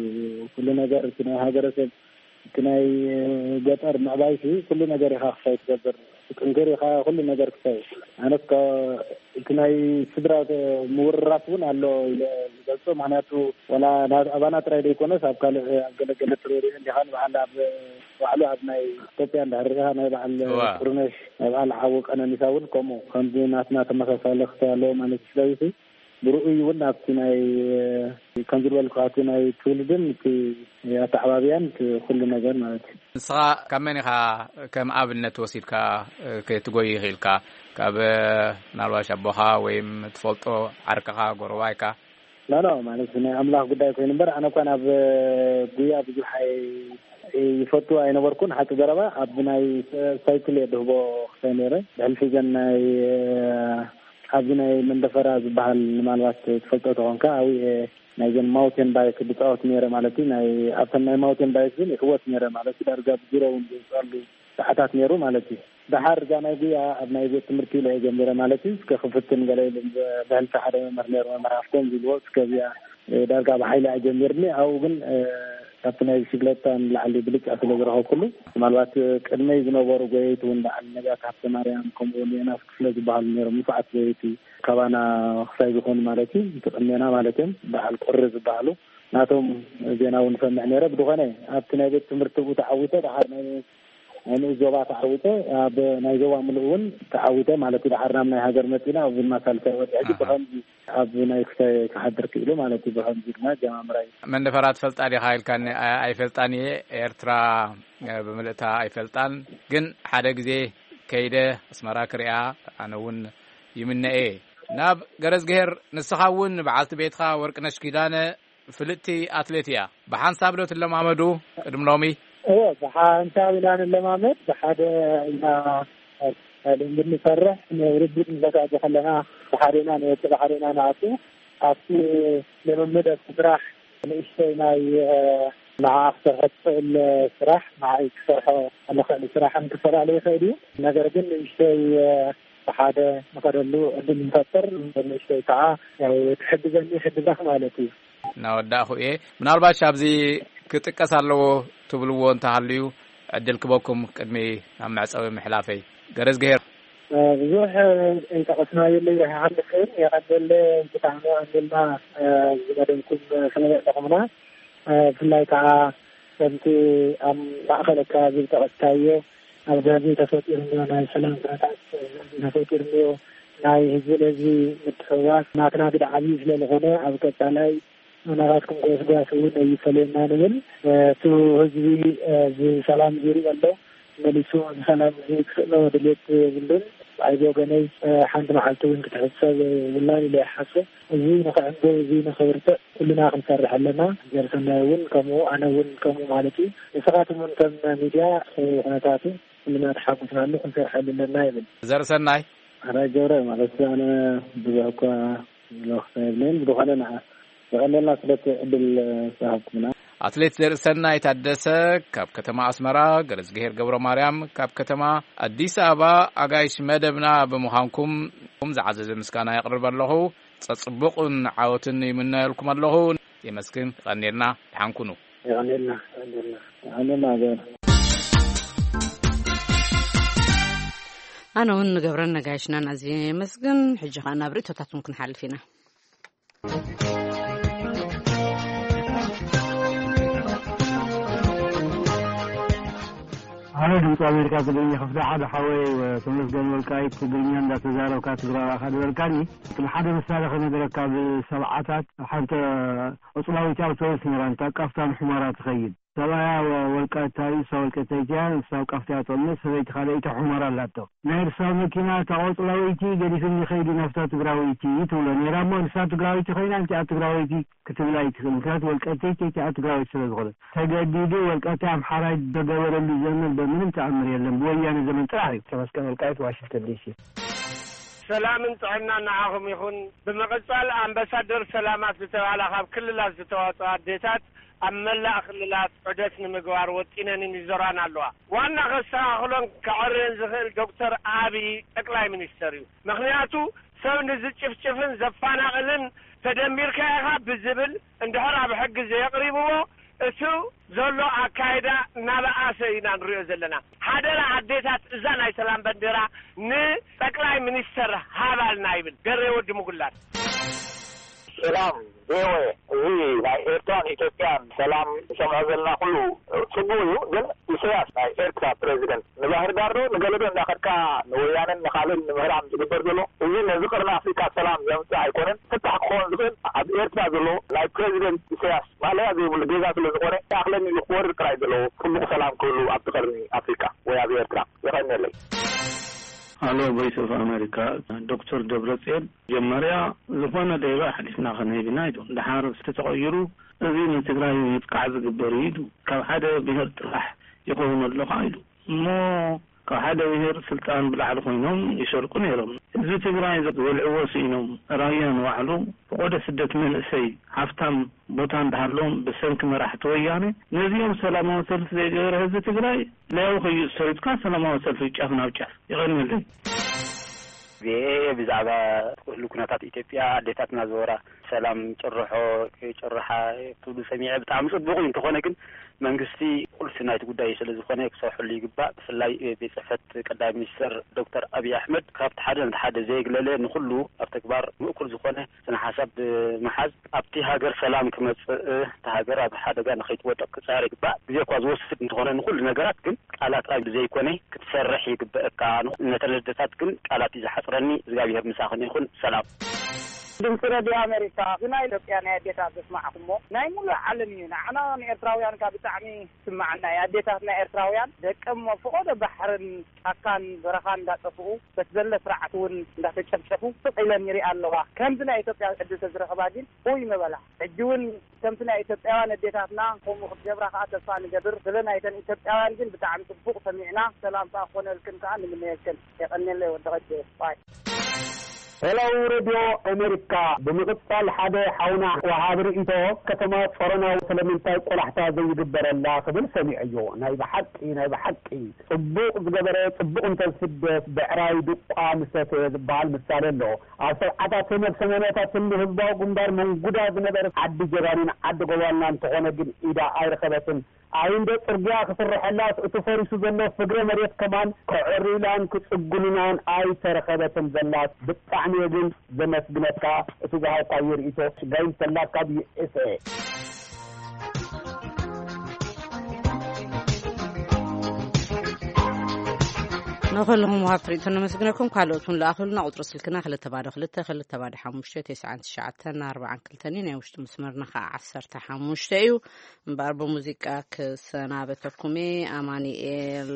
ኩሉ ነገር እቲ ናይ ሃገረሰብ፣ እቲ ናይ ገጠር ምዕባይ ሲ ኩሉ ነገር ኢኻ ክሳይ ትገብር፣ ጥንክር ኢኻ ኩሉ ነገር ክሳይ። ኣነስ እቲ ናይ ስድራ ምውርራስ እውን ኣሎ ኢለ ዝገልጾ። ምክንያቱ ወላ ናብ ኣባና ጥራይ ዘይኮነስ ኣብ ካልእ ኣብ ገለገለ ትረድኦ እንዲኻ ንበዓል ኣብ ባዕሉ ኣብ ናይ ኢትዮጵያ እንድሕር ርኢኻ ናይ በዓል ጥሩነሽ ናይ በዓል ሓዊ ቀነኒሳ እውን ከምኡ ከምዚ ናትና ተመሳሳሊ ክሳይ ኣለዎ ማለት እዩ። ስለዚ ብርኡይ እውን ኣብቲ ናይ ከምዚ ዝበልኩ እቲ ናይ ትውልድን እቲ ኣተዓባብያን እቲ ኩሉ ነገር ማለት እዩ። ንስኻ ካብ መን ኢኻ ከም ኣብነት ወሲድካ ክትጎይ ይኽኢልካ? ካብ ምናልባሽ ኣቦኻ ወይም ትፈልጦ ዓርክኻ ጎረባይካ? ኖ ኖ፣ ማለት ናይ ኣምላኽ ጉዳይ ኮይኑ እምበር ኣነ እኳ ናብ ጉያ ብዙሕ ኣይ ይፈቱ ኣይነበርኩን። ሓቂ ዘረባ ኣብ ናይ ሳይክል እየ ድህቦ ክሳይ ነይረ። ብሕልፊ ዘን ናይ ኣብዚ ናይ መንደፈራ ዝበሃል ምናልባት ትፈልጦ ተኾንካ ኣብኡ እየ ናይዘን ማውቴን ባይክ ዝፃወት ነይረ ማለት እዩ። ናይ ኣብተን ናይ ማውቴን ባይክ ግን ይዕወት ነይረ ማለት እዩ። ዳርጋ ብዚሮ እውን ዝውፅኣሉ ሰዓታት ነይሩ ማለት እዩ። ደሓር እዛ ናይ ጉያ ኣብ ናይ ቤት ትምህርቲ ኢለ እየ ጀሚረ ማለት እዩ። እስከ ክፍትን ገለ ኢሉ ብሕልፊ ሓደ መምህር ነይሩ፣ መምህር ሃፍቶም ዝብልዎ፣ እስከ እዚኣ ዳርጋ ብሓይሊ ኣጀሚርኒ። ኣብኡ ግን ካብቲ ናይ ብሽግለታ ንላዕሊ ብልጫ ስለ ዝረኸብኩሉ፣ ምናልባት ቅድመይ ዝነበሩ ጎየይቲ እውን በዓል ነቢያት ሃብተማርያም፣ ከምኡ እውን ዮናስ ክፍለ ዝበሃሉ ነይሮም፣ ንፉዓት ጎየይቲ ካባና ክሳይ ዝኾኑ ማለት እዩ፣ እቲ ቅድሜና ማለት እዮም፣ በዓል ቁሪ ዝበሃሉ፣ ናቶም ዜና እውን እሰምዕ ነይረ። ብዝኾነ ኣብቲ ናይ ቤት ትምህርቲ ብኡ ተዓዊተ፣ ደሓር ናይ ናይ ንኡስ ዞባ ተዓዊተ፣ ኣብ ናይ ዞባ ምሉእ እውን ተዓዊተ ማለት እዩ። ደሓር ናብ ናይ ሃገር መፂና ኣብዚ ድማ ሳልሳይ ወርሒ ሕጂ ብኸምዚ ኣብ ናይ ክሳይ ክሓድር ክኢሉ ማለት እዩ። ብኸምዚ ድማ ጀማምራይ። መንደፈራ ትፈልጣ ዲኻ ኢልካኒ፣ ኣይ-፣ ኣይፈልጣን እየ። ኤርትራ፣ እ፣ ብምልእታ ኣይፈልጣን። ግን ሓደ ግዜ ከይደ ኣስመራ ክሪኣ ኣነ እውን ይምነ እየ። ናብ ገረዝግሄር፣ ንስኻ እውን በዓልቲ ቤትኻ ወርቅነሽ ኪዳነ ፍልጥቲ ኣትሌት እያ። ብሓንሳብ ዶ ትለማመዱ ቅድሚ ሎሚ? እወ፣ ብሓንሳብ ኢና ንለማመድ። ብሓደ ኢና ልምምድ ንሰርሕ። ንውድድር ንዘጋጆ ከለና ብሓደ ኢና ንወጽእ፣ ብሓደ ኢና ንኣቱ። ኣብቲ ልምምድ፣ ኣብቲ ስራሕ ንእሽተይ ናይ፣ እ፣ ንዓኣ ክሰርሖ ትኽእል ስራሕ ንዓይ ክሰርሖ ንኽእል ስራሕን ክፈላለ ይኽእል እዩ። ነገር ግን ንእሽተይ፣ እ፣ ብሓደ ንኸደሉ ዕድል ንፈጥር፣ ንእሽተይ ከዓ ያው ትሕግዘኒ ይሕግዛኽ ማለት እዩ። እናወዳእኹ እየ። ምናልባሽ ኣብዚ ክጥቀስ ኣለዎ ትብልዎ እንተሃልዩ ዕድል ክበኩም ቅድሚ ናብ መዕጸዊ ምሕላፈይ። ገረዝግሄር። እ፣ ብዙሕ ኣይጠቐስናዮ ኣለይ ይሓልፍ ግን የቐደለ ብጣዕሚ ቀንደልና፣ እ፣ ዝመደብኩም ስለ ዘዕጠኹምና፣ እ፣ ብፍላይ ከዓ ከምቲ ኣብ ማእኸል ኣከባቢ ዝጠቐስካዮ ኣብዚ ህዝቢ ተፈጢሩ እኒኦ ናይ ሰላም ኩነታት፣ ህዝቢ ተፈጢሩ እኒኦ ናይ ህዝቢ ንህዝቢ ምትሕውዋስ ናትና ግደ ዓብዪ ስለ ዝኾነ ኣብ ቀፃላይ ናባትኩም ጎስጓስ እውን ኣይፈለየና ንብል። እቲ ህዝቢ እዚ ሰላም እዚ ይሪኦ ኣሎ፣ መሊሱ እዚ ሰላም እዚ ክስእኖ ድሌት የብሉን። ኣይ ብወገነይ ሓንቲ መዓልቲ እውን ክትሕሰብ የብላን ኢለ ይሓስብ። እዚ ንኽዕንብብ፣ እዚ ንኽብርትዕ ኩልና ክንሰርሕ ኣለና። ዘርሰናይ እውን ከምኡ፣ ኣነ እውን ከምኡ ማለት እዩ። ንስኻትም እውን ከም ሚድያ ኩነታቱ ኩልና ተሓጉስናሉ ክንሰርሐሉ ኣለና ይብል። ዘርሰናይ። ኣራይ ገብረ ማለት ኣነ ብዙሕ እኳ ዝለኽሰ የብለይን፣ ብዝኾነ ንዓ የቐንየልና ስለቲ ዕድል ዝሃብኩምና። ኣትሌት ዘርእሰናይ ታደሰ ካብ ከተማ ኣስመራ፣ ገረዝግሄር ገብረ ማርያም ካብ ከተማ ኣዲስ ኣበባ ኣጋይሽ መደብና ብምዃንኩም ዝዓዘዘ ምስጋና የቕርብ ኣለኹ። ጸጽቡቕን ዓወትን ይምነየልኩም ኣለኹ። የመስግን። የቐንየልና። ደሓን ኩኑ። የቐንየልና። የቐንየልና። የቐንየልና። ኣነ እውን ንገብረን ነጋይሽናን ኣዝየ የመስግን። ሕጂ ኸኣ ናብ ርእይቶታትኩም ክንሓልፍ ኢና። ኣነ ድምፂ ኣሜሪካ ትግርኛ ክፍሊ ሓደ ሓወይ ተመስገን ወልቃይት ትግርኛ እንዳተዛረብካ ትግራዋ ኢኻ ዝበልካኒ። እቲ ሓደ ምሳሌ ክነግረካ፣ ብሰብዓታት ሓንቲ ቆፅላዊት ኣውቶቡስ ነይራ፣ እንታ ቃፍታ ንሑመራ ትኸይድ። ሰብኣያ ወ-፣ ወልቃይታ እዩ፣ እሳ ወልቃይታይት እያ፣ ንሳ ኣብ ቃፍታ እያ ትቕመጥ፣ ሰበይቲ ካልኣይቲ ሑመራ ኣላቶ። ናይ እርሳ መኪና እታ ቆጽላወይቲ ገዲፍኒ ከይዱ ናብታ ትግራወይቲ ትብሎ ነይራ እሞ፣ ንሳ ትግራወይቲ ኮይና፣ እንቲኣ ትግራወይቲ ክትብል ኣይትኽእል። ምክንያቱ ወልቃይታይት እቲኣ ትግራወይቲ ስለ ዝኾነ። ተገዲዱ ወልቃይታይ ኣምሓራይ ተገበረሉ ዘመን በምንም ተኣምር የለን። ብወያነ ዘመን ጥራሕ እዩ። ተመስገን ወልቃይት፣ ዋሽንግተን ዲሲ። ሰላምን ጥዕናን ንዓኹም ይኹን። ብምቕጻል ኣምባሳደር ሰላማት ዝተባህላ ካብ ክልላት ዝተዋጽኣ ኣዴታት ኣብ መላእ ክልላት ዑደት ንምግባር ወጢነንን ይዞራን ኣለዋ። ዋና ከስተኻኽሎን ከዐርየን ዝኽእል ዶክተር ኣብይ ጠቅላይ ሚኒስተር እዩ። ምኽንያቱ ሰብ ንዝጭፍጭፍን ዘፋናቕልን ተደሚርካ ኢኻ ብዝብል እንድሕር ኣብ ሕጊ ዘየቕሪብዎ እቱ ዘሎ ኣካይዳ እናበኣሰ ኢና ንሪኦ ዘለና። ሓደራ ኣዴታት እዛ ናይ ሰላም ባንዴራ ንጠቅላይ ሚኒስተር ሃባልና ይብል ገሬ ወዲ ምጉላት። ሰላም ቪኦኤ፣ እዚ ናይ ኤርትራን ኢትዮጵያን ሰላም ንሰምዖ ዘለና ኩሉ ጽቡቕ እዩ፣ ግን ኢሳያስ ናይ ኤርትራ ፕሬዚደንት ንባህር ዳር ዶ ንገለዶ እንዳኸድካ ንወያነን ንኻልእን ንምህራም ዝግበር ዘሎ፣ እዚ ነዚ ቅርኒ ኣፍሪካ ሰላም ዘምጽእ ኣይኮነን። ፍታሕ ክኸውን ዝኽእል ኣብ ኤርትራ ዘሎ ናይ ፕሬዚደንት ኢሳያስ ማለያ ዘይብሉ ጌጋ ስለ ዝኾነ፣ ይኣኽለኒ ኢሉ ክወርድ ጥራይ ዘለዎ ጽቡቕ ሰላም ክህሉ ኣብቲ ቅርኒ ኣፍሪካ ወይ ኣብ ኤርትራ። የቐንየለይ። ኣሎ ቮይስ ኦፍ ኣሜሪካ። ዶክተር ደብረጽዮን፣ መጀመርያ ዝኾነ ሌባ ኣሕሊፍና ከነህብ ኢና ኢሉ፣ ደሓር ተተቐይሩ፣ እዚ ንትግራይ ምጥቃዕ ዝግበር እዩ ኢሉ፣ ካብ ሓደ ብሄር ጥራሕ ይኸውን ኣሎ ከዓ ኢሉ እሞ፣ ካብ ሓደ ብሄር ስልጣን ብላዕሊ ኮይኖም ይሰርቁ ነይሮም። ህዝቢ ትግራይ ዝበልዕዎ ስኢኖም፣ ራያ ንባዕሉ ፈቆዶ ስደት መንእሰይ ሃፍታም ቦታ እንዳሃሎም ብሰንኪ መራሕቲ ወያነ ነዚኦም ሰላማዊ ሰልፊ ዘይገበረ ህዝቢ ትግራይ ለያው ከይእሰር ኢልካ ሰላማዊ ሰልፊ ጫፍ ናብ ጫፍ። ይቐንየለይ። ቪኦኤ ብዛዕባ ኩሉ ኩነታት ኢትዮጵያ ኣዴታትና ዘወራ ሰላም ጭርሖ ጭርሓ ክብሉ ሰሚዐ ብጣዕሚ ጽቡቕ እዩ። እንተኾነ ግን መንግስቲ ቁልፊ ናይቲ ጉዳይ ስለ ዝኾነ ክሰርሐሉ ይግባእ። ብፍላይ ቤት ጽሕፈት ቀዳማይ ሚኒስተር ዶክተር ኣብይ ኣሕመድ ካብቲ ሓደ ነቲ ሓደ ዘየግለለ ንኹሉ ኣብ ተግባር ምእኩል ዝኾነ ስነ ሓሳብ ብምሓዝ ኣብቲ ሃገር ሰላም ክመጽእ፣ እታ ሃገር ኣብ ሓደጋ ንኸይትወድቕ ክጻር ይግባእ። ግዜ እኳ ዝወስድ እንተኾነ ንኹሉ ነገራት ግን ቃላት ጥራይ ዘይኮነ ክትሰርሕ ይግበአካ። ነተን ኣዴታት ግን ቃላት እዩ ዝሓጽረኒ። እግዚኣብሔር ምሳኽን ይኹን። ሰላም። ድምፂ ረድዮ ኣሜሪካ፣ እዚ ናይ ኢትዮጵያ ናይ ኣዴታት ዘስማዕኩሞ ናይ ሙሉእ ዓለም እዩ። ንዓና ንኤርትራውያን ካብ ብጣዕሚ ይስማዓና እዩ። ኣዴታት ናይ ኤርትራውያን ደቀም ኣብ ፈቐዶ ባሕርን ጫካን በረኻን እንዳጠፍኡ በቲ ዘለ ስርዓት እውን እንዳተጨፍጨፉ ስቕ ኢለን ይሪኣ ኣለዋ። ከምዚ ናይ ኢትዮጵያ ዕድል ተዝረኽባ ግን ኡይ ምበላ። ሕጂ እውን ከምቲ ናይ ኢትዮጵያውያን ኣዴታትና ከምኡ ክትገብራ ከዓ ተስፋ ንገብር። ስለ ናይተን ኢትዮጵያውያን ግን ብጣዕሚ ጽቡቕ ሰሚዕና፣ ሰላም ከዓ ክኾነልክን ከዓ ንምነየልክን። የቐንየለይ ወዲ ቐጀ። ባይ። ሄሎ ሬድዮ ኣሜሪካ፣ ብምቕጻል ሓደ ሓውና ወሃቢ ርእይቶ፣ ከተማ ጾሮና ስለምንታይ ቆላሕታ ዘይግበረላ ክብል ሰሚዐዮ። ናይ ብሓቂ፣ ናይ ብሓቂ ጽቡቕ ዝገበረ ጽቡቕ እንተዝፍደስ፣ ብዕራይ ድቋ ምሰተ ዝበሃል ምሳሌ ኣሎ። ኣብ ሰብዓታትን ኣብ ሰማንያታትን ንህዝባዊ ግንባር መንጉዳ ዝነበረት ዓዲ ጀባኒን ዓዲ ጎባልናን እንተኾነ ግን ኢዳ ኣይረኸበትን። ኣይ እንዶ ጽርግያ ክስርሐላስ እቲ ፈሪሱ ዘሎ ፍግረ መሬት ከማን ከዕርዩላን ክጽግኑናን ኣይተረኸበትን ዘላስ። ብጣዕሚ እየ ግን ዘመስግነካ እቲ ዝሃብካዮ ርእይቶ። ጋይም ሰላካ ብዩ ኤስ ኤ። ንኹልኹም ወሃብቲ ርእይቶ ነመስግነኩም። ካልኦት እውን ለኣኹልና። ቁጽሪ ስልክና ክልተ ባዶ ክልተ፣ ክልተ ባዶ ሓሙሽተ፣ ተስዓን ትሽዓተን ኣርባዓን ክልተን እዩ። ናይ ውሽጢ መስመርና ከዓ ዓሰርተ ሓሙሽተ እዩ። እምበኣር ብሙዚቃ ክሰናበተኩም እየ። ኣማኑኤል፣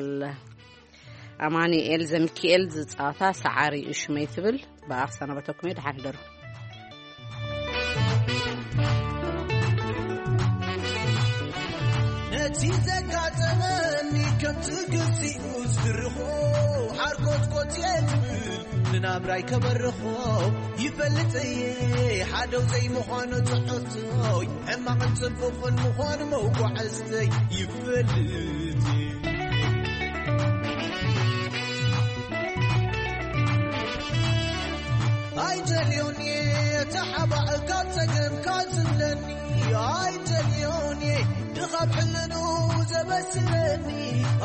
ኣማኑኤል ዘሚካኤል ዝጻወታ ሰዓሪ እዩ ሽመይ ትብል። ብኣ ክሰናበተኩም እየ። ደሓን ሕደሩ። ነቲ ዘጋጠመኒ ከምቲ ግዚኡ ዝድርኾ ሓርኮትኮት እየ ዝብል ንናብራይ ከበርኾ ይፈልጥ እየ። ሓደው ዘይምዃኑ ትሕዝቶይ ሕማቕን ጽቡቕን ምዃኑ መጓዕዝተይ ይፈልጥ እየ። ኣይደልዮን እየ ተሓባእካ ጸገምካ ዝብለኒ ኣይደልዮን እየ ድኻብ ሕልኑ ዘበስለኒ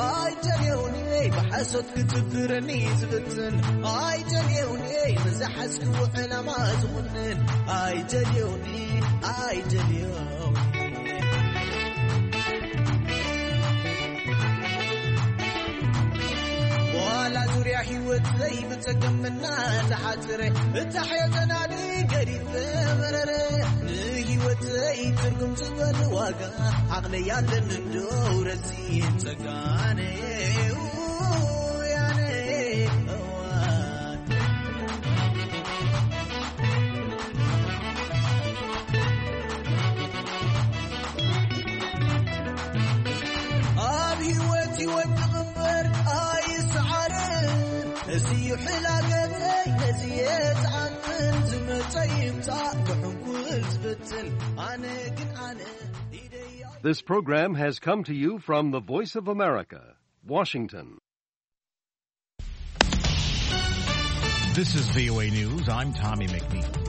ኣይደልዮን እየ ብሓሶት ክትብረኒ ዝፍትን ኣይደልዮን እየ ንዝሓዝክዎ ዕላማ ዝኹንን ኣይደልዮን እየ ኣይደልዮን ዋላ ዙርያ ህይወት ዘይብጸገም እናተሓጽረ እታ ሕዮ ተናዲ ገዲፈ መረረ ንህይወተይ ትርጉም ዝበል ዋጋ ዓቕለይ ኣለኒ እንዶ ረሲን ጸጋነ ያነ እዋን ኣብ ህይወት ይወድቕ እምበር ኣይስዓርን። እዚ እዩ ሕላገተይ፣ ነዚ እየ ዝኣምን። ዝመጸ ይምጻእ፣ ክሕንኩል ዝፍትን። ኣነ ግን ኣነ ኢደይ This program has come to you from the Voice of America, Washington. This is V O A News. I'm Tommy McNeil.